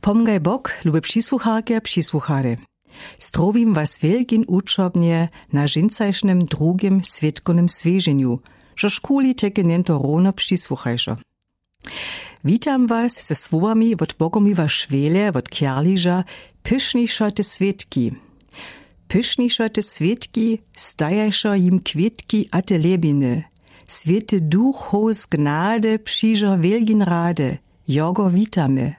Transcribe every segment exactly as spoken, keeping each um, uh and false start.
Pomgaj bok, lube přisłucharke, přisłuchary. Strowim was wielgin uczobnje na dźensajšnem drugim swětkownem swěženju, žož kuli teke njeńto rowno přisłuchajšo. Witam was ze słowami wot bogomiła šwele wot kjerliža: Pyšnišo te swětki. Pyšnišo te swětki, stajajšo jim kwětki a te lebiny. Swěty duch hołz gnady, přižo wielgin rady. Jogo witamy.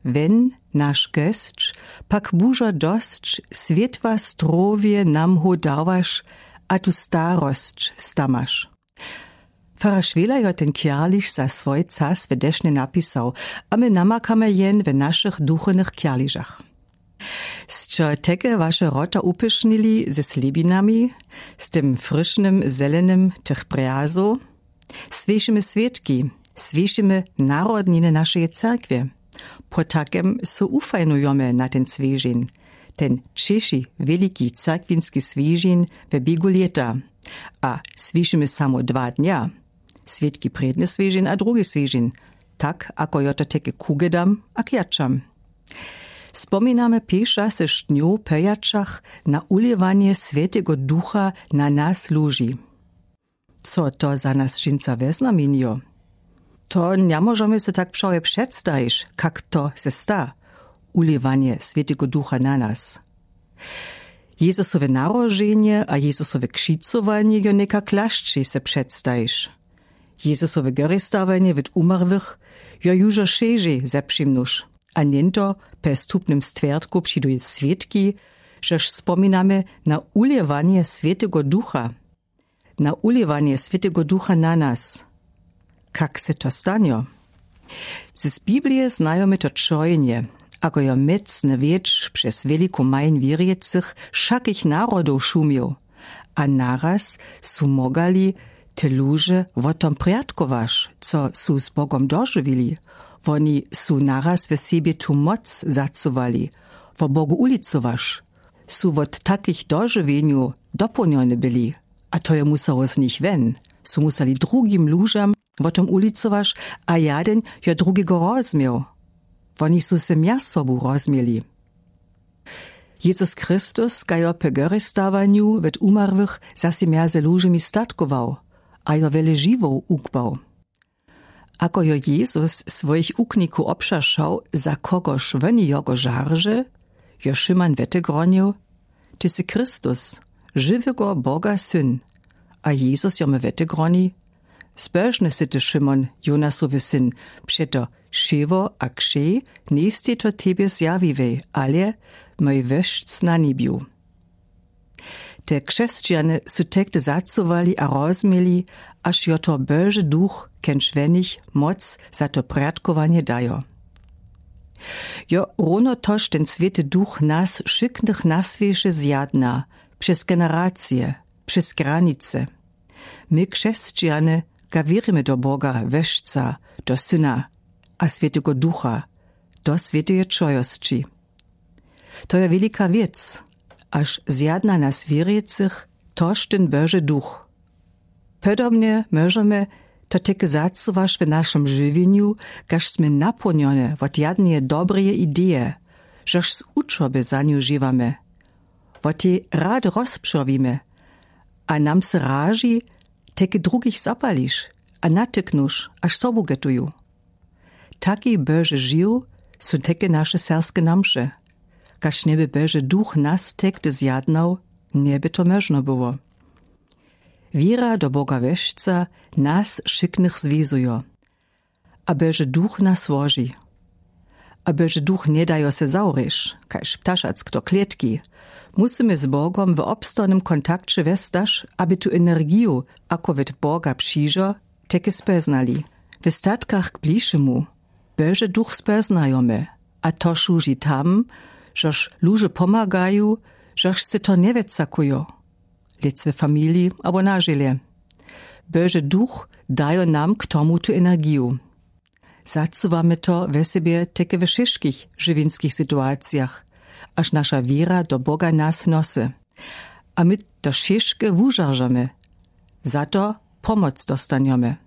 Wen, naš gesć, pak bužo dosć, swětła strowje nam hołdawaš, a tu starosć stamaš. Farar šwela jo ten kjerliš za swój cas w dešnje napisał, a my namakamy jen w našich duchownych kjerližach. Sće teke waše rota upyšnili ze slěbinami, z tym fryšnym zelenym tych brjazow? Słěšimy swětki, słěšimy narodniny našeje cerkwje. Potakem so ufajnujomy na ten swěžin, ten ćeši wieliki cerkwinski swěžin we běgu lěta. A słěšimy samo dwa dnja. Swětki prědny swěžin a drugi swěžin, tak ako jo to teke kugedam a kjačam. Spominamy pěšasy šnjow pejacach na ulěwanje swětego ducha na nas luži. Co to za nas dźensa wjeznamjenjo? To njemóžemy se tak přałe předstajiš, kak to se sta, ulěwanje swětego ducha na nas. Jezusowe narodźenje a Jezusowe křicowanje jo někak lašćej se předstajiš. Jezusowe geristawanje wot umarłych jo južo šežej zepřimnuš. A njeńto pes tupnym stwjertku přiduj swětki, žož spominamy na ulěwanje swětego ducha. Na ulěwanje swětego ducha na nas. Kak se to stanjo? Z Biblije znajomy to čojenje, ako jo mocny wětr přez wieliku majń wěrjecych wšakich narodow šumił. A naraz su mogali te luže wot tom prjatkowaš, co su z Bogom dožiwili. Woni su naraz w sebje tu moc zacuwali, wo Bogu ulicowaš. Su wot takich dožiwjenjow dopołnjony byli. A to jo musało z nich wen. Su musali drugim lužam wot tom ulicowaš, a jaden jo drugigo rozmiał. Woni su se mjez sobu rozmieli. Jezus Christus ga jo pë gerestawanju wot umarłych zase mjez lužemi statkował a jo wjele žiwow ukbał. Ako jo Jezus swojich uknikow obšašał, za kogož woni jogo žarže, jo Šimon wetegronil: Ty sy Christus, žiwego Boga Syn. A Jezus jomu wetegroni: Zbožny sy ty, Šimon, Jonasowy syn, přeto šewo a křej njejstej to tebje zjawiłej, ale mój Wójc na njebju. Te křesćane su tehdy zacuwali a rozmieli, až jo to Boži Duch, kenž we nich moc za to prjatkowanje dajo. Jo, rowno tož ten Swěty Duch nas wšyknëch na swěše zjadna, přez generacije, přez granice. My křesćane ga wěrimy do Boga Wójca, do Syna a Swětego Ducha, do Swěteje Trójosći. To je wielika wěc, až zjadna nas wěrjecych tož ten Boži Duch. Podobnje móžemy to tehdy zacuwaš w našem žiwjenju, kaž smy napołnjony wot jadneje dobreje ideje, žož z učoby za nju žiwamy. Wot tej rad rozpřowimy, a nam se raži, tehdy drugich zapališ a natyknuš, až sobu getuju. Taki Boži žiw su tehdy naše serbske namše. Kaž njeby Boži Duch nas tehdy zjadnał, njeby to móžno było. Wěra do Boga Wójca nas wšyknëch zwizujo. A Boži Duch nas woži. A Boži Duch nje dajo se zawrjeć, kaž ptašack do klětki. Musymy z Bogom w obstawnym kontakće westaš, aby tu energiju, ako wot Boga přižo, tehdy spóznali. W statkach k bližšemu Boži Duch spóznajomy, a to słuži tam, žož luže pomagaju, žož se to nje wjecakujo, lec we familiji abo na želje. Boži Duch dajo nam k tomu tu energiju. Zacuwamy to we sebje tehdy we wšyškich žiwjenskich situacijach, až naša wěra do Boga nas nosy. A my to wšyške wužaržamy. Za to pomoc dostanjomy.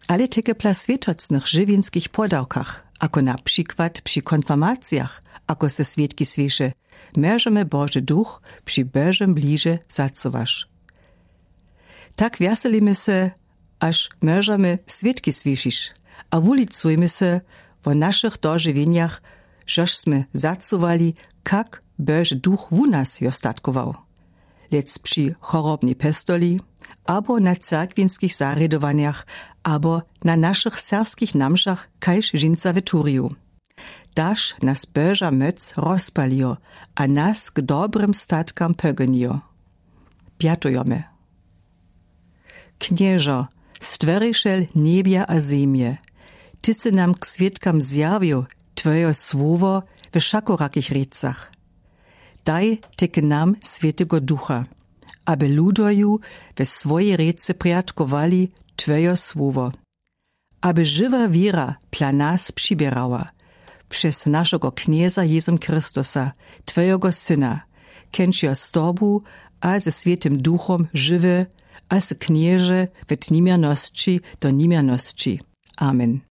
Ale tehdy pla swětocnych žiwjenskich podawkach, ako na przikład při konfirmacijach, ako se swědki słyše: Mòżemy, Bože Duch, při Božem bliže zacowaš. Tak wjeselimy se, až mòżemy swědki słyšiš, a wulicujmy se wo našich dožiwjenjach, žož smy zacowali, kak Bože Duch wu nas jo statkował, lec při chorobnej pestoli, abo na cerkwinskich zarědowanjach, abo na našich serbskich namšach kaž žinca w turiju. Daž nas Boža mòc rozpalijo a nas k dobrym statkam pògonijo. Pjatujemy. Knježo, stwòrišel njebja a zemje, ty sy nam k swědkam zjawił twòjeho słowa we wšakorakich rěcach. Daj tej k nam Swětego Ducha, aby ludoju we swòji rěce prjadkowali twòjeho słowa, aby žiwa wěra pla nas přiběrała, přez našego Knjeza Jezum Christusa, twòjeho Syna, kenčio z tobu a ze Swětym Duchom žiwy a sy knježe wot niměrnosći do niměrnosći. Amen.